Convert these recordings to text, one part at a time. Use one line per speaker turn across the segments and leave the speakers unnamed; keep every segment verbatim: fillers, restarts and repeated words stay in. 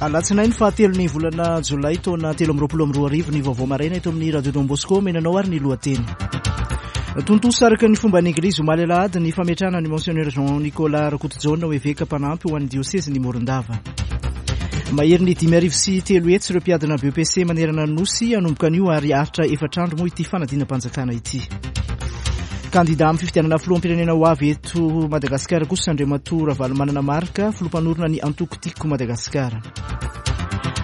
Alatsinainy fahatelo ny volana jolay taona telo amby roapolo amby roa arivo ny vaovao maraina eto amin'ny Radio Don Bosco. Menanao ary ny lohateny. Tontosa araka ny fomba ny Eglizy omaly alahady ny fametrahana ny Monseigneur Jean Nicolas Rakotojaona ho eveka mpanampy ho an'ny diosezy ny Morondava. Mahery ny dimy arivo sy telo hetsy ireo mpiadina B E P C manerana ny Nosy hanomboka anio ary haharitra efatra andro moa ity fanadinam-panjakana ity. Kandida amin'ny fifidianana filoham-pirenena ho avy eto Madagasikara kosa Andriamatoa Ravalomanana Marc, filoham-panorona ny antoko Tiako Madagasikara.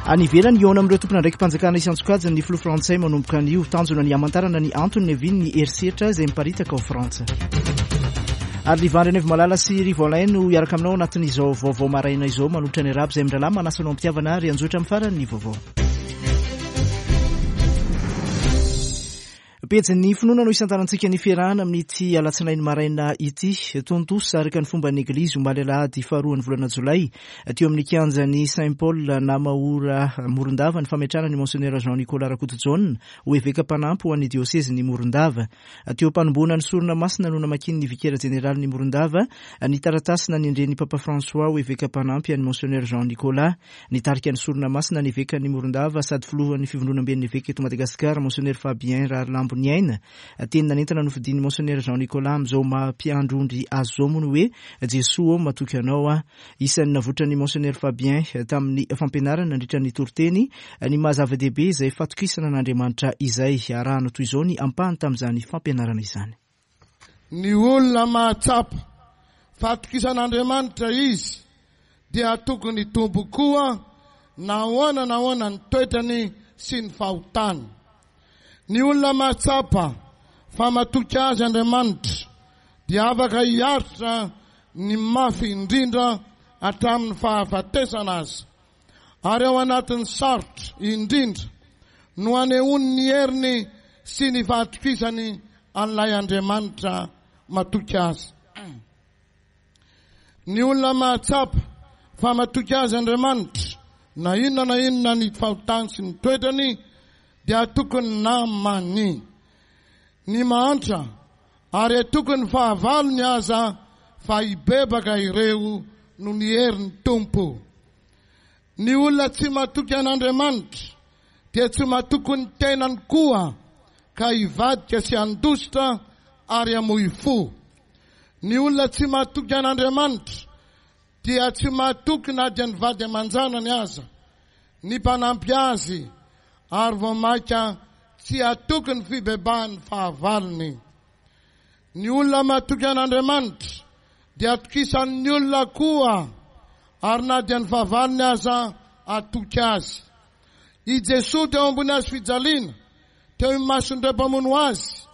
Any ivelany, hihaona amin'ireo tompon'andraiki-panjakana isan-tsokajiny ny filoha frantsay manomboka anio. Tanjona ny hamantarana ny antony niavian'ny herisetra izay miparitaka ao Frantsa. Ary Livan Renivomalala sy Rivo Alain no hiaraka aminao anatin'izao vaovao maraina izao manolotra ny arabo izay mirahalahy manasa anao am-pitiavana ary anjotra amin'ny farany ny vaovao. Pejin'ny finoana no isantarantsika ny fiarahana amin'ity alatsinainy maraina ity. Tontosa araka ny fomba ny Eglizy omaly alahady faharoan'ny volana jolay teo amin'ny kianjan'ny Saint Paul Namahora Morondava ny fametrahana ny Monseigneur Jean Nicolas Rakotojaona ho eveka mpanampy ho an'ny diosezin'ny Morondava. Teo am-panombohana ny sorona masina no namakian'ny vikera jeneralin'ny Morondava ny taratasy nanendren'ny Papa François ho eveka mpanampy an'ny Monseigneur Jean Nicolas. Nitarika ny sorona masina ny evekan'ny Morondava sady filohan'ny fivondronamben'ny eveka eto Madagasikara Monseigneur Fabien Raharilambo niaina. Teny nanentana nofidin'ny Monseigneur Jean Nicolas amin'izao maha-mpiandry ondry azy izao moa ny hoe Jesoa ô matoky anao aho. Isan'ny navotran'ny Monseigneur Fabien tamin'ny fampianarana nandritra ny toriteny ny maha zava-dehibe izay fatokisana an'Andriamanitra izay. Arahana toy izao ny ampahany tamin'izany fampianarana izany.
Ny olona mahatsapa fatokisan'Andriamanitra izy dia tokony hitombo koa na ahoana na ahoana ny toetrany sy ny fahotany. Ny olona mahatsapa fa matoky azy Andriamanitra dia afaka hiaritra ny mafy indrindra hatramin'ny fahafatesana azy. Ary ao anatin'ny sarotra indrindra no anehoany ny heriny sy ny fahatokisany an'ilay Andriamanitra matoky azy. Ny olona mahatsapa fa matoky azy Andriamanitra na inona na inona ny fahotany sy ny toetrany dia tokony namany ny mahantra ary tokony fahavalony aza fa hibebaka ireo no ny herin'ny Tompo. Ny olona tsy matoky an'Andriamanitra dia tsy matoky ny tenany koa ka hivadika sy handositra ary hamoy fo. Ny olona tsy matoky an'Andriamanitra dia tsy matoky na dia ny vady aman-janany aza, ny mpanampy azy, ary vao mainka tsy hatoky ny fibebahan'ny fahavalony. Ny olona matoky an'Andriamanitra dia atokisan'ny olona koa, ary na dia ny fahavalony aza atoky azy. I Jesoa teo ambony hazo fijaliana, teo imason'ireo mpamono azy,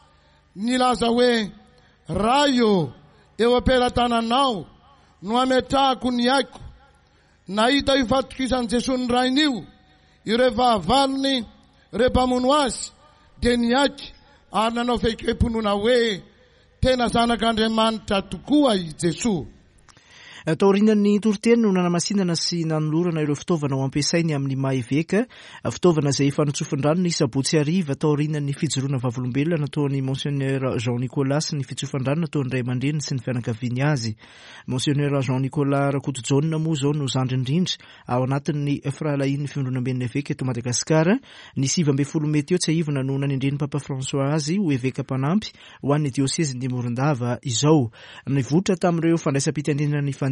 nilaza hoe: Ray ô, eo am-pelatananao no ametrahako ny aiko. Nahita io fatokisan'i Jesoa ny rainy io ireo fahavalony, ireo mpamono azy, dia niaiky ary nanao fehikem-pinoana hoe tena zanak'Andriamanitra tokoa i Jesoa.
Taorian'ny toriteny no nanamasinana sy nanolorana ireo fitaovana ho ampiasainy amin'ny maha eveka, fitaovana izay efa notsofin-drano ny sabotsy hariva taorian'ny fijoroana vavolombelona nataon'ny Monseigneur Jean Nicolas sy ny fitsofan-drano nataon'ny ray aman-dreniny sy ny fianakaviany azy. Monseigneur Jean Nicolas Rakotojaona moa izao no zandry indrindra ao anatin'ny firahalahian'ny fivondronamben'ny eveka eto Madagasikara. Ny sivy ambin'ny folo mey teo tsiahivina no nanendren'ny Papa François azy ho eveka mpanampy ho an'ny diosezin'ny Morondava izao. Nivoitra tamin'ireo fandraisam-pitenenana nifandimby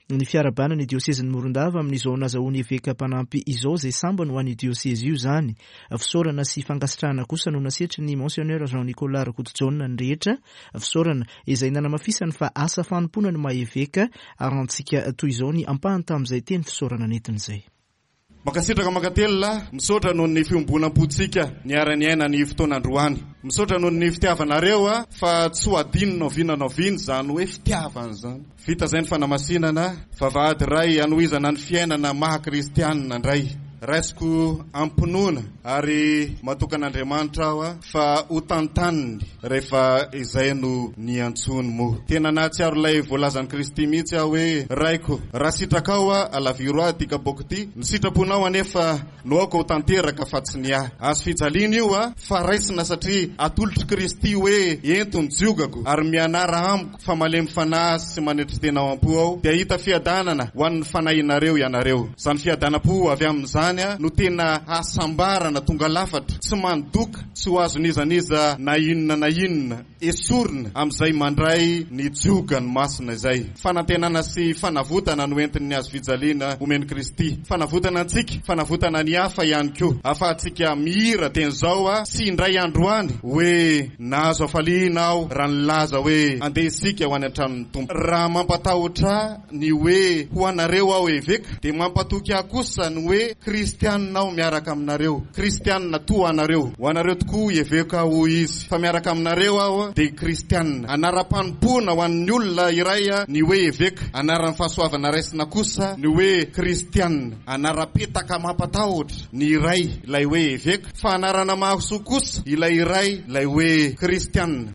ny fiarahabana ny diosezin'ny Morondava amin'izao nazahoany eveka mpanampy izao izay sambany ho an'ny diosezy io izany. Fisaorana sy fankasitrahana kosa no nasetry ny Monseigneur Jean Nicolas Rakotojaona ny rehetra. Fisaorana izay nanamafisany fa asa fanompoana ny maha eveka ary antsika toy izao ny ampahany tamin'izay teny fisaorana nentin'izay.
Mankasitraka mankatelina, misaotra noho ny fiombonam-pontsika niara-niaina ny fotoana androany. Misaotra noho ny fitiavanareo a, fa tsy ho adino na oviana na oviana izany hoe fitiavana izany. Vita izay ny fanamasinana, vavahady iray hanohizana ny fiainana maha kristianina indray. Raisiko am-pinoana ary matoky an'Andriamanitra aho fa ho tantaniny rehefa izay no niantsony moa. Tena nahatsiaro ilay voalazan'i Kristy mihitsy aho hoe raiko, raha sitrakao aho alaviro ahy ity kapoaka ity, ny sitraponao anefa no aoka ho tanteraka fa tsy ny ahy. Azo fijaliana io a fa raisina satria atolotr'i Kristy hoe ento ny jiogako ary mianara amiko fa malemy fanahy sy manetry tena ao am-po aho, dia hahita fiadanana ho an'ny fanahinareo ianareo. Izany fiadanam-po avy amin'izany no tena hasambarana tonga lafatra, tsy mandoka, tsy ho azon'iza n'iza na inona na inona esorina amin'izay mandray ny jiogany masina izay. Fanantenana sy fanavotana no entin'ny hazo fijaliana omen'i Kristy. Fanavotana antsika, fanavotana ny hafa ihany koa. Ahafahantsika mihira teny izao a sy indray androany hoe nahazo hafaliana aho raha nilaza hoe andeha isika ho any an-tranon'ny Tompo. Raha mampatahotra ny hoe ho anareo aho eveka, dia mampatoky ahy kosa ny hoe kristianina aho miaraka aminareo, kristianina toa anareo. Ho anareo tokoa eveka hoy izy, fa miaraka aminareo aho dia kristianina. Anaram-panompoana ho an'ny olona iray ny hoe eveka, anaran'ny fahasoavana raisina kosa ny hoe kristianina. Anaram-petaka mampatahotra ny iray ilay hoe eveka, fa anarana mahasoa kosa ilay iray ilay hoe kristianina.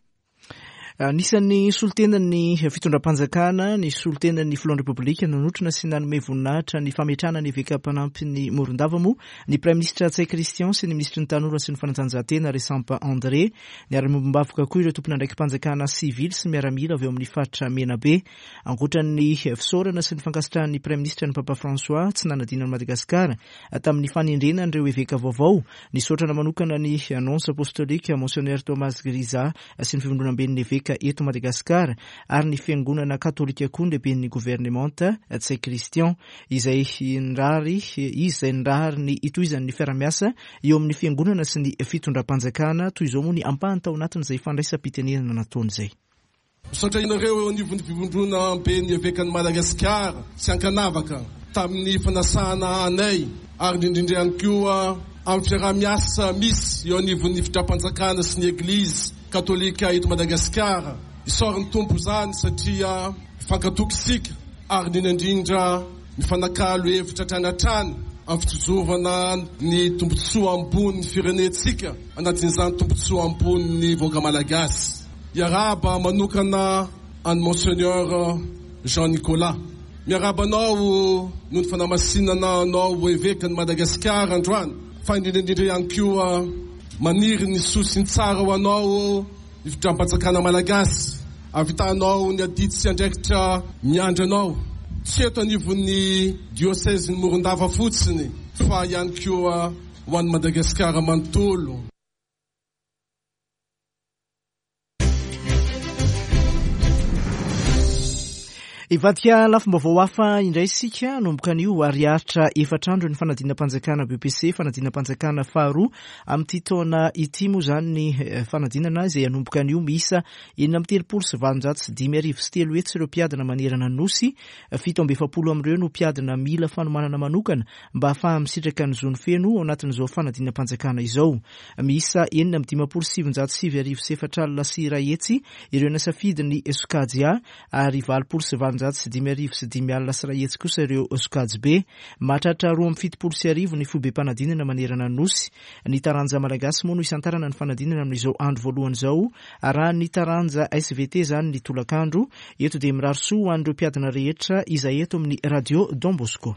Anisan'ny solontenan'ny fitondram-panjakana, ny solontenan'ny filohan'ny Repoblika nanotrona sy nanome voninahitra ny fametrahana ny eveka mpanampy ny Morondava moa ny Praiminisitra Ntsay Christian sy ny minisitry ny tanora sy ny fanatanjahantena Resampa André. Niara-miombom-bavoka koa ireo tompon'andraiki-panjakana sivily sy miaramila avy eo amin'ny faritra Menabe. Ankoatra ny fisaorana sy ny fankasitrahan'ny Praiminisitra ny Papa François tsy nanadino an'i Madagasikara tamin'ny fanendrena an'ireo eveka vaovao, nisaotrana manokana ny nonce apostolique Monseigneur Thomas Grisa sy ny fivondronamben'ny eveka eto Madagasikara ary ny fiangonana katolika koa ny lehiben'ny governemanta Ntsay Christian, izay nirary izy izay nirary ny hitohizan'ny fiarahamiasa eo amin'ny fiangonana sy ny fitondram-panjakana. Toy izao moa ny ampahany tao anatin'izay fandraisam-pitenenana nataony izay.
Misaotra inareo eo anivon'ny fivondronamben'ny evekan'i Madagasikara sy ankanavaka tamin'ny fanasana anay ary indrindra ihany koa amin'ny fiarahamiasa misy eo anivon'ny fitondram-panjakana sy ny Eglizy katolika eto Madagasikara. Isaoran'ny Tompo izany satria mifankatoky isika ary indrindra indrindra mifanakalo hevitra hatrany hatrany amin'ny fitozovana ny tombontsoa ambonin'ny firenentsika, anatin'izany tombontsoa ambonin'ny vahoaka malagasy. Miarahaba manokana an'i Monseigneur Jean Nicolas. Miarahaba anao noho ny fanamasinana anao ho evekan'i Madagasikara androany, fa indrindra indrindra ihany koa maniry ny soa sy ny tsara ho anao ny fitondram-panjakana malagasy, ahavitanao ny adidy sy andraikitra miandry anao, tsy eto anivon'ny diosezin'ny Morondava fotsiny fa ihany koa ho an'i Madagasikara manontolo.
Hivadika lafim-baovao hafa indray isika hanomboka anio ary haharitra efatra andro ny fanadinam-panjakana B P C, fanadinam-panjakana faharoa amin'ity taona ity moa izany ny fanadinana izay hanomboka anio. Miisa enina amby telopolo sy valonjato sy dimy arivo sy telo hetsy ireo mpiadina manerana ny Nosy, fito amby efapolo amin'ireo no mpiadina mila fanomanana manokana mba hahafaha misitraka ny zony feno ao anatin'izao fanadinam-panjakana izao. Miisa enina amby dimampolo sy sivinjato sy sivy arivo sy efatra alina sy iray hetsy ireo nasafidy ny sokajy A ary valopolo sy valonjato sy dimy arivo sy dimy alina sy iray hetsy kosa ireo sokajy B. Mahatratra roa amby fitopolo sy arivo ny foibem-panadinana manerana ny Nosy. Ny taranja malagasy moa no isantarana ny fanadinana amin'izao andro voalohany izao, raha ny taranja S V T izany ny tolakandro. Eto dia mirary soa ho an'ireo mpiadina rehetra izay eto amin'ny Radio Don Bosco.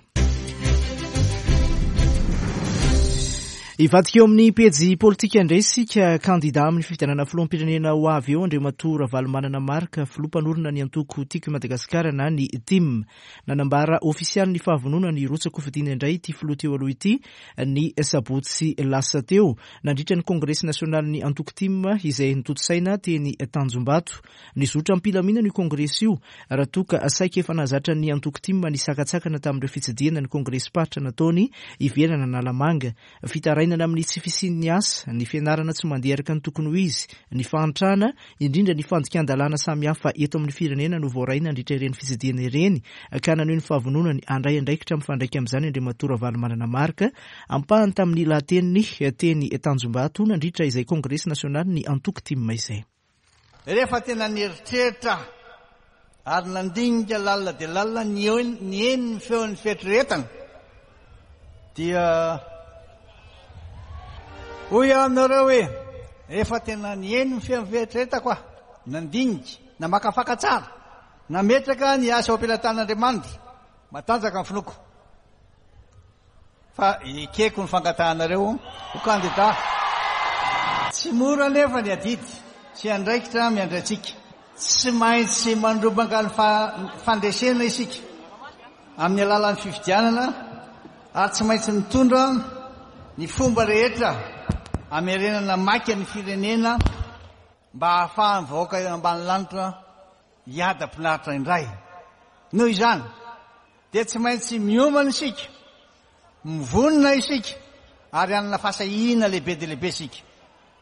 Hivadika eo amin'ny pejy politika indray isika. Kandida amin'ny fifidianana filoham-pirenena ho avy eo Andriamatoa Ravalomanana Marc, filoha mpanorina ny antoko Tiako i Madagasikara na ny T I M. Nanambara ofisialy ny fahavononany hirotsaka-kofidina indray ity filoha teo aloha ity ny sabotsy lasa teo nandritra ny kongresy nasionalin'ny antoko T I M izay notontosaina teny Tanjombato. Nizotra am-pilaminana io kongresy io raha toa ka saika efa nahazatra ny antoko T I M ny sakatsakana tamin'ireo fitsidihana ny kongresy-paritra nataony ivelana Analamanga. Fitarainana amin'ny tsy fisian'ny asa, ny fianarana tsy mandeha araka ny tokony ho izy, ny fahantrana, indrindra ny fandikan-dalàna samihafa eto amin'ny firenena no voaray nandritra ireny fitsidihana ireny, ka naneho ny fahavononany handray andraikitra mifandraika amin'izany Andriamatoa Ravalomanana Marc. Ampahany tamin'ny lahateniny teny Tanjombato nandritra izay kongresy nasionaly ny antoko T I M izay.
Rehefa tena nieritreritra ary nandinika lalina dia lalina ny eny ny feon'ny fieritreretana Dia hoy aho aminareo hoe rehefa tena nihaino ny fieritreretako aho, nandinika, namakafaka tsara, nametraka ny asa ao am-pelatanan'Andriamanitra, matanjaka ny finoako fa ekeko ny fangatahanareo ho kandida. Tsy mora anefa ny adidy sy andraikitra miandry antsika. Tsy maintsy mandrombaka ny fandresena isika amin'ny alalan'ny fifidianana ary tsy maintsy mitondra ny fomba rehetra hamerenana maika ny firenena mba hahafahan'ny vahoaka eo ambany lanitra hiadam-pinaritra indray. Noho izany dia tsy maintsy miomana isika, mivonona isika ary hanana fahasahiana lehibe dia lehibe isika.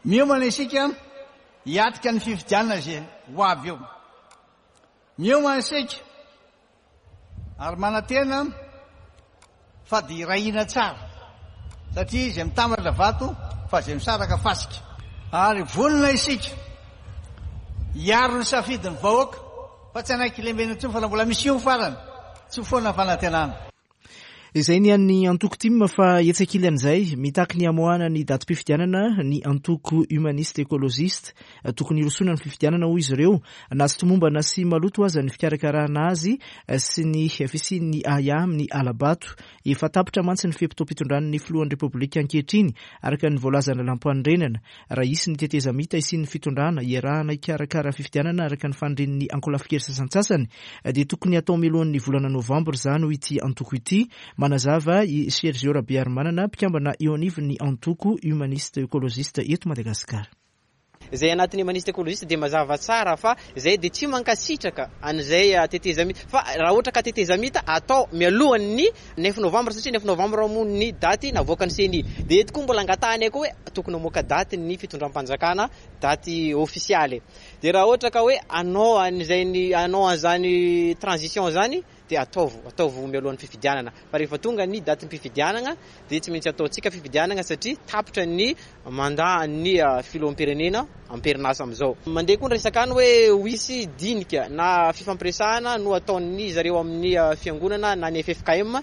Miomana isika hiatrika ny fifidianana izay ho avy eo. Miomana isika ary manantena fa dia iray hina tsara satria izay mitambatra vato fa izay misaraka fasika. Ary vonona isika hiaro ny safidin'ny vahoaka fa tsy hanaiky lembenana intsony fa raha mbola misy io farany tsy ho foana ny fanantenana.
Izay ny an'ny antoko T I M fa etsy ankilan'izay mitaky ny hamoahana ny datim-pifidianana ny antoko humaniste écologiste. Tokony hirosoana ny fifidianana hoy izy ireo, na tsy tomombana sy maloto aza ny fikarakarana azy sy ny fisian'ny ahiahy amin'ny alabato. Efa tapitra mantsy ny fe-potoam-pitondran'ny filohan'ny Repoblika ankehitriny araka ny voalazan'ny lalàm-panorenana. Raha hisy ny tetezamita hisian'ny fitondrana iarahana hikarakara fifidianana araka ny fanirian'ny ankolafikery sasantsasany dia tokony hatao mialohan'ny volana novambra izany hoy ity antoko ity. Manazava i Sergio Rabearimanana, mpikambana eo anivon'ny antoko humaniste écologiste eto Madagasikara.
Izay anatin'ny humaniste écologiste dia mazava tsara fa izay dia tsy mankasitraka an'izay tetezamita, fa raha ohatra ka tetezamita atao mialohan'ny neuf novembre satria neuf novembre moa ny daty navoakan'ny C N I. Dia eto koa mbola angatahany koa hoe tokony hamoaka daty ny fitondram-panjakana, daty ofisialy. Dia raha ohatra ka hoe anao an'izay ny, anao an'izany transition zany dia ataovo, ataovo mialohan'ny fifidianana. Fa rehefa tonga ny datim-pifidianana dia tsy maintsy ataontsika fifidianana satria tapitra ny mandat ny filoham-pirenena am-perinasa amin'izao. Mandeha koa ny resaka any hoe ho hisy dinika na fifampiresahana no ataon'ny zareo amin'ny fiangonana na ny F F K M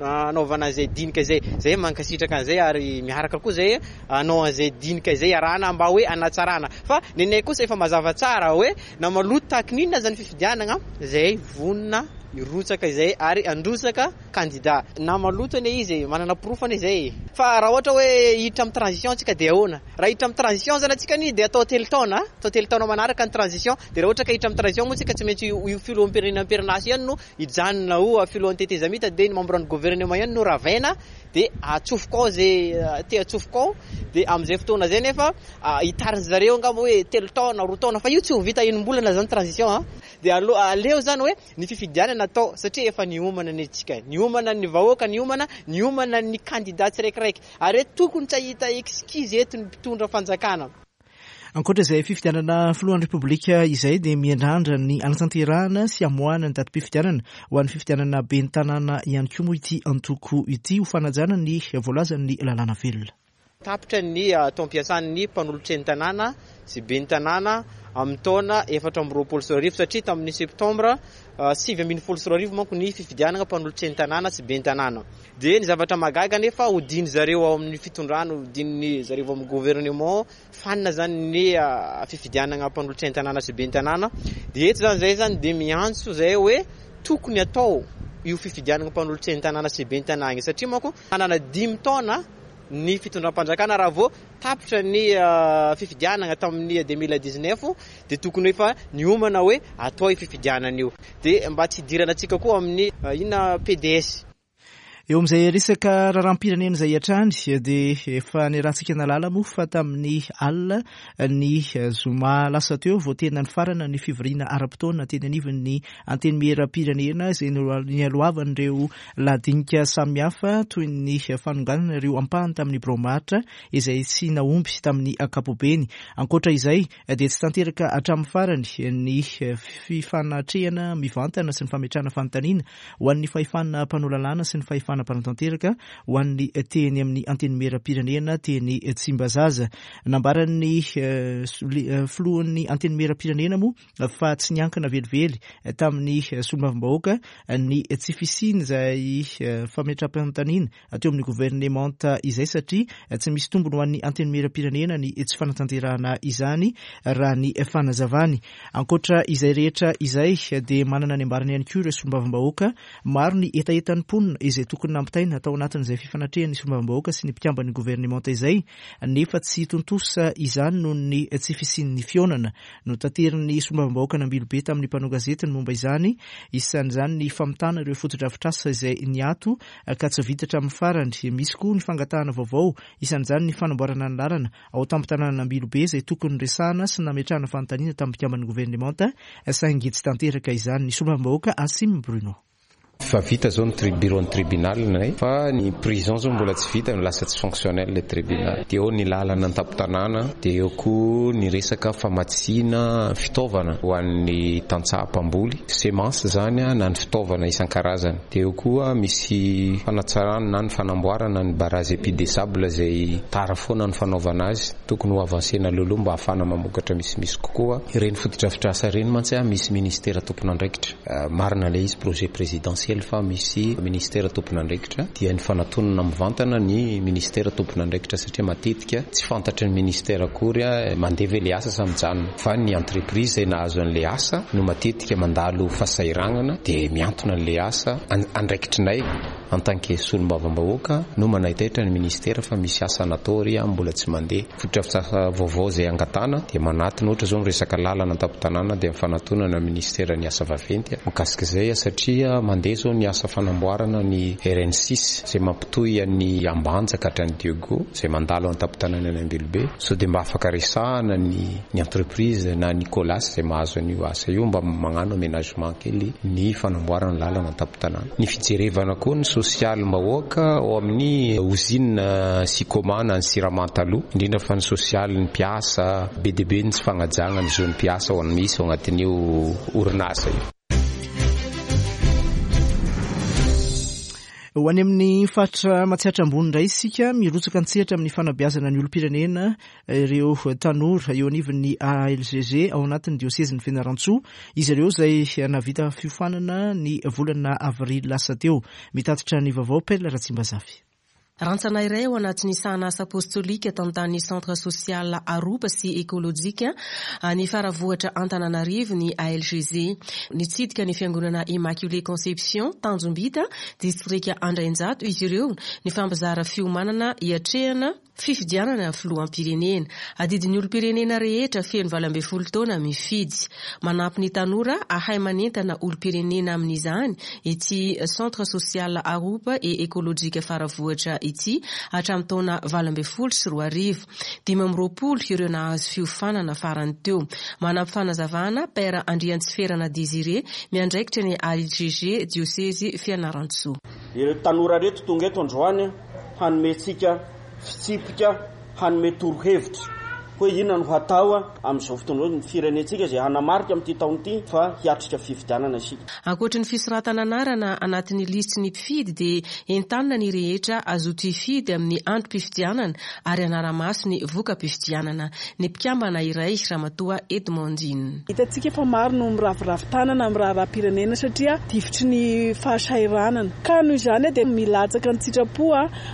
anaovana an'izay dinika izay. Zay mankasitraka an'izay ary miaraka koa zay hanao an'izay dinika izay arahana mba hoe hanatsarana. Fa nenay kosa efa mazava tsara hoe na maloto tahaka ny inona zany fifidianana zay vonona hirotsaka izay ary handrotsaka kandida. Na maloto anie izy, manana porofo anie izay. Fa raha ohatra hoe hiditra amin'ny transition tsika dia ahoana? Raha hiditra amin'ny transition zany antsika anie dia atao telo taona, atao telo taona manaraka ny transition. Dia raha ohatra ka hiditra amin'ny transition moa tsika tsy maintsy io, io filoham-pirenena am-perinasa ihany no hijanona ho filohan'ny tetezamita, dia ny membre ny gouvernement ihany no ravaina, dia atsofoka ao izay te atsofoka ao. Dia amin'izay fotoana izay nefa hitarin'ny zareo angamba hoe telo taona, roa taona, fa io tsy ho vita enim-bolana zany transition a. Dia alo-, aleo zany hoe ny fifidianana atao satria efa niomana ny antsika, niomana ny vahoaka, niomana, niomana ny kandida tsiraikiraiky. Ary hoe tokony tsy hahita excuse eto ny mpitondra fanjakana.
Ankoatra izay fifidianana filohan'ny Repoblika izay dia miandrandra ny hanatanterahana sy hamoahana ny datim-pifidianana ho an'ny fifidianana ben'ny tanàna ihany koa moa ity antoko ity ho fanajana ny voalazan'ny lalàna velona.
Tapitra ny taom-piasan'ny mpanolotsain'ny tanàna sy ben'ny tanàna amin'ny taona efatra amby roapolo sy roa arivo satria tamin'ny septambra sivy ambin'ny folo sy roa arivo manko ny fifidianana mpanolotsain'ny tanàna sy ben'ny tanàna. Dia ny zavatra mahagaga nefa hodiny zareo ao amin'ny fitondrana, hodiny zareo ao amin'ny gouvernement, fanina zany ny fifidianana mpanolotsain'ny tanàna sy ben'ny tanàna. Dia eto zany zay zany dia miantso zay hoe tokony atao io fifidianana mpanolotsain'ny tanàna sy ben'ny tanàna io satria manko manana dimy taona ny fitondram-panjakana raha vao tapitra ny fifidianana tamin'ny deux mille dix-neuf dia tokony efa niomana hoe atao io fifidianana io. Dia mba tsy hidirana antsika koa amin'ny inona P D S.
Eo amin'izay resaka raharaham-pirenena izay hatrany dia efa niarahantsika nahalala moa fa tamin'ny alina ny zoma lasa teo vao tena nifarana ny fivoriana ara-potoana teny anivon'ny antenimieram-pirenena izay nialohavan'ireo ladinika samihafa toy ny fanonganana ireo ampahany tamin'ny birao maharitra izay tsy nahomby tamin'ny ankapobeny. Ankoatra izay dia tsy tanteraka hatramin'ny farany ny fifanatrehana mivantana sy ny fametrahana fanontaniana ho an'ny fahefana mpanao lalàna sy ny fahefana fahefana mpanatanteraka ho an'ny teny amin'ny Antenimieram-pirenena teny Tsimbazaza. Nambaran'ny filohan'ny Antenimieram-pirenena moa fa tsy niankina velively tamin'ny solombavambahoaka ny tsy fisiany izay fametraham-panontaniana teo amin'ny governemanta izay, satria tsy misy tombony ho an'ny Antenimieram-pirenena ny tsy fanatanterahana izany, raha ny fanazavany. Ankoatra izay rehetra izay dia manana ny ambarany ihany koa ireo solombavambahoaka. Maro ny hetahetan'ny mponina izay tokony nampitaina tao anatin'izay fifanatrehan'ny solombavambahoaka sy ny mpikamban'ny governemanta izay, nefa tsy tontosa izany noho ny tsy fisian'ny fihaonana. Notaterin'ny solombavambahoaka Nambilobe tamin'ny mpanao gazety ny momba izany, isan'izany ny famitana ireo fotodrafitrasa izay niato ka tsy vita hatramin'ny farany. Misy koa ny fangatahana vaovao, isan'izany ny fanamboarana ny lalana ao tampon-tanàna Ambilobe izay tokony resahana sy nametrahana fanontaniana tamin'ny mpikamban'ny governemanta, saingy tsy tanteraka izany. Ny solombavambahoaka Asim Bruno.
Fa vita zao ny tri bureau ny tribunal nay, fa ny prison zao mbola tsy vita, lasa tsy fonctionnel le tribunal. Dia eo ny lalana an-tampon-tanàna, dia eo koa ny resaka famatsiana fitaovana ho an'ny tantsaha mpamboly, semence zany na ny fitaovana isan-karazany. Dia eo koa misy fanatsarana na ny fanamboarana ny barrage épi des sables izay tara foana ny fanaovana azy, tokony ho avancena aloha mba ahafahana mamokatra misimisy kokoa. Ireny fotodrafitrasa ireny mantsy misy ministera tompon'andraikitra, marina ilay izy projet présidentiel fa misy ministera tompon'andraikitra, dia ny fanatonana mivantana ny ministera tompon'andraikitra, satria matetika tsy fantatry ny ministera akory mandeha ve le asa sa mijanona, fa ny entreprise izay nahazo an'le asa no matetika mandalo fahasahiranana dia miantona an'le asa. Andraikitrinay en tant que solombavambahoaka no manaitaitra ny ministera fa misy asa natao ry mbola tsy mandeha. Fotodrafitrasa vaovao izay angatana dia manatona, ohatra zao miresaka lalana an-tampon-tanàna dia mifanatonana ministera ny asa vaventy mikasika izay, satria mandeha zao ny asa fanamboarana ny R N six izay mampitohy an'ny Ambanja ka hatrany Diego izay mandalo an-tampon-tanàna any Ambilobe. So dia mba afaka resahana ny ny entreprise na ny Colas izay mahazo an'io asa io mba magnano aménagement kely ny fanamboarana lalana an-tampon-tanàna. Ny fijerevana koa ny sosialim-bahoaka ao amin'ny usine Sicoma na ny Siramanta aloha, indrindra fa ny sosialin'ny mpiasa, be dia be ny tsy fagnajana ny zon'ny mpiasa ao misy ao anatin'io orinasa io.
Ho any amin'ny faritra Matsiatra Ambony indray isika, mirotsaka an-tsehatra amin'ny fanabeazana ny olom-pirenena ireo tanora eo anivon'ny A L G G ao anatin'ny diosezin'ny Fianarantsoa. Izy ireo izay nahavita fiofanana ny volana avrily lasa teo. Mitatitra ny vaovao Pelle Ratsimbazafy.
Rantsana iray ao anatin'ny sahanasa apostolika tantan'ny centre social Aroba sy ekolojika ny Faravohitra Antananarivo ny A L G Z. Nitsidika ny fiangonana Immaculée Conception Tanjombita, distrika Andrainjato izy ireo, ny fampizara fiomanana hiatrehana fifidianana filoham-pirenena. Adidin'ny olom-pirenena rehetra feno valo ambin'ny folo taona mifidy. Manampy ny tanora ahay manentana olom-pirenena amin'izany ity centre social Aroba et ekolojika Faravohitra ity hatramin'ny taona valo ambin'ny folo sy roa arivo. Dimy amby roapolo ireo nahazo fiofanana farany teo. Manampy fanazavana Père Andriantsiferana Désiré miandraikitra ny A L G G diosezy Fianarantsoa.
Ireo tanora reto tonga eto androany hanome-tsika fitsipika, hanome torohevitra hoe inona no hatao amin'izao fotoana izao ny firenentsika izay hanamarika amin'ity taona ity fa hiatrika fifidianana isika.
Ankoatry ny fisoratana anarana anatin'ny lisitry ny mpifidy dia entanina ny rehetra azoto hifidy amin'ny androm-pifidianana ary hanara-maso ny voka-pifidianana. Ny mpikambana iray Ramatoa Edmondine.
Hitantsika fa maro no miraviravy tanana amin'ny raharaham-pirenena satria difotry ny fahasahiranana. Ka noho izany dia milatsaka ny tsitrapo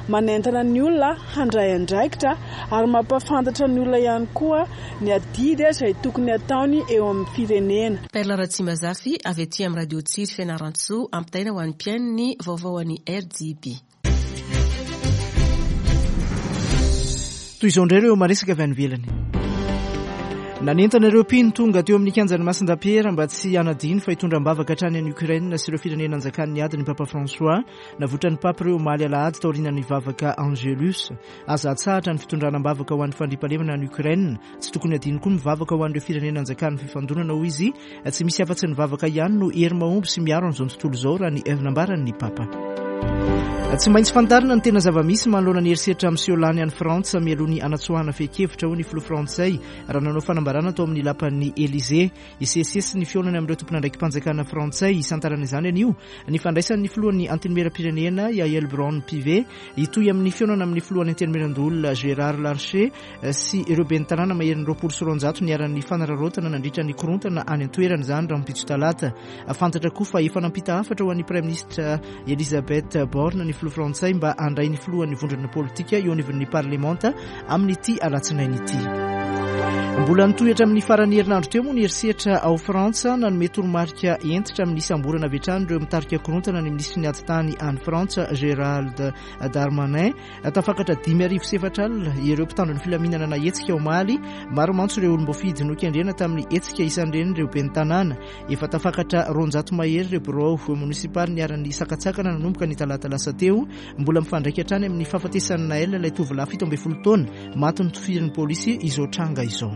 manentana ny olona handray andraikitra ary mampahafantatra ny olona ihany koa ny adidy izay tokony ataony eo amin'ny firenena.
Perla Ratsimbazafy avy aty amin'ny Radio Tsiry Fianarantsoa, ampitaina ho an'ny mpihaino ny vaovao an'ny R D B.
Toy izao indray ireo maresaka avy any ivelany. Nanentana ireo mpino tonga teo amin'ny kianjan'ny Masindapiera mba tsy hanadino fa hitondra am-bavaka hatrany any Ukraine sy ireo firenena anjakan'ny ady ny Papa François. Navoitra ny Papa ireo omaly alahady taorian'ny vavaka Angelus. Aza atsahatra ny fitondrana am-bavaka ho an'ny fandriampahalemana any Ukraine. Tsy tokony hadino koa mivavaka ho an'ireo firenena anjakan'ny fifandonana, hoy izy. Tsy misy afa-tsy ny vavaka ihany no hery mahomby sy miaro an'izao tontolo izao, raha ny nambaran'ny Papa. Tsy maintsy fantarina ny tena zava-misy manoloana ny herisetra miseho lany any Frantsa mialoha ny anatsoahana fehin-kevitra, hoy ny filoha frantsay raha nanao fanambarana tao amin'ny lapan'ny Élysée. Hisesisesy ny fihaonana amin'ireo tompon'andraiki-panjakana frantsay. Isantarana izany anio ny fandraisan'ny filohan'ny Antenimieram-pirenena Yaël Braun-Pivet, hitohy amin'ny fihaonana amin'ny filohan'ny Antenimierandoholona Gérard Larcher sy ireo ben'ny tanàna maherin'ny roapolo sy roanjato niharan'ny fanararaotana nandritra ny korontana any an-toerana izany rahampitso talata. Fantatra koa fa efa nampita hafatra ho an'ny Praiminisitra Elisabeth Borne ny filoha frantsay mba handray ny filohan'ny vondrona politika eo anivon'ny parlemanta amin'ity alatsinainy ity. Mbola nitohy hatramin'ny faran'ny herinandro teo moa ny herisetra ao Frantsa. Nanome toromarika hentitra amin'ny isamborana avy hatrany ireo mitarika korontana ny minisitry ny ady tany any Frantsa Gérald Darmanin. Tafakatra dimy arivo sy efatra alina ireo mpitandro ny filaminana nahetsika omaly. Maro mantsy ireo olom-boafidy nokendrena tamin'ny hetsika, isan'ireny ireo ben'ny tanàna. Efa tafakatra roanjato mahery ireo birao monisipaly niharan'ny sakantsakana nanomboka ny talata lasa teo. Mbola mifandraika hatrany amin'ny fahafatesan'i Naël, ilay tovolahy fito ambin'ny folo taona maty notifirin'ny polisy, izao tranga izao.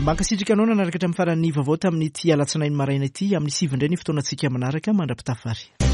Mankasitraka anao nanaraka hatramin'ny faran'ny vaovao tamin'ity alatsinainy maraina ity. Amin'ny sivy indray ny fotoanantsika manaraka. Mandra-pitafary.